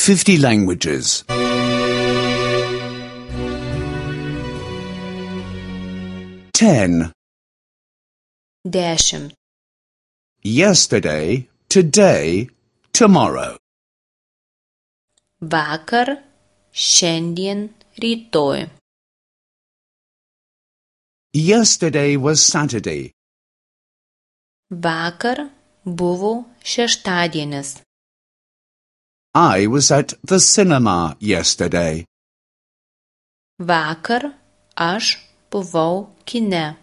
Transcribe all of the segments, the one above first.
50 languages. 10. 10. Yesterday, today, tomorrow. Vakar, šiandien, rytoj. Yesterday was Saturday. Vakar buvo šeštadienis. I was at the cinema yesterday. Vakar aš buvau kine.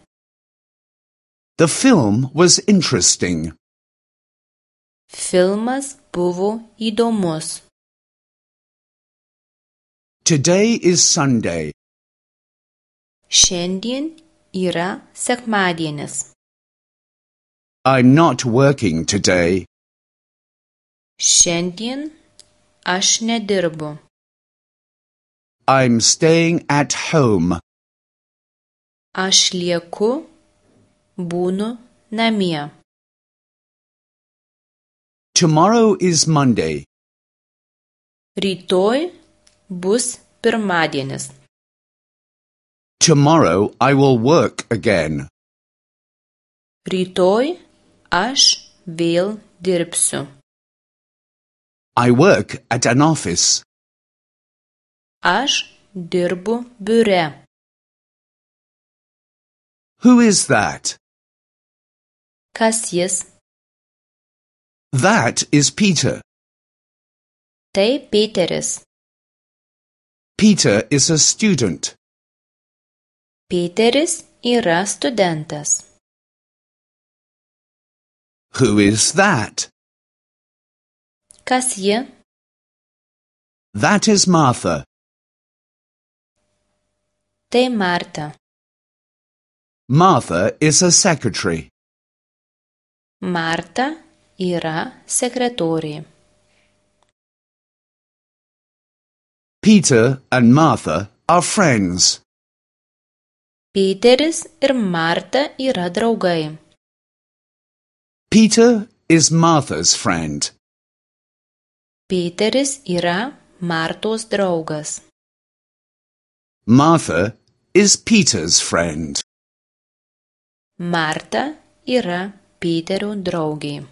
The film was interesting. Filmas buvo įdomus. Today is Sunday. Šiandien yra sekmadienis. I'm not working today. Šiandien aš nedirbu. I'm staying at home. Aš lieku, būnu namie. Tomorrow is Monday. Rytoj bus pirmadienis. Tomorrow I will work again. Rytoj aš vėl dirbsiu. I work at an office. Aš dirbu biure. Who is that? Kas jis? That is Peter. Tai Peteris. Peter is a student. Peteris yra studentas. Who is that? Kas ji? That is Martha. Tai Marta. Martha is a secretary. Marta yra sekretorė. Peter and Martha are friends. Peteris ir Marta yra draugai. Peter is Martha's friend. Peteris yra Martos draugas. Martha is Peter's friend. Marta yra Peterio draugė.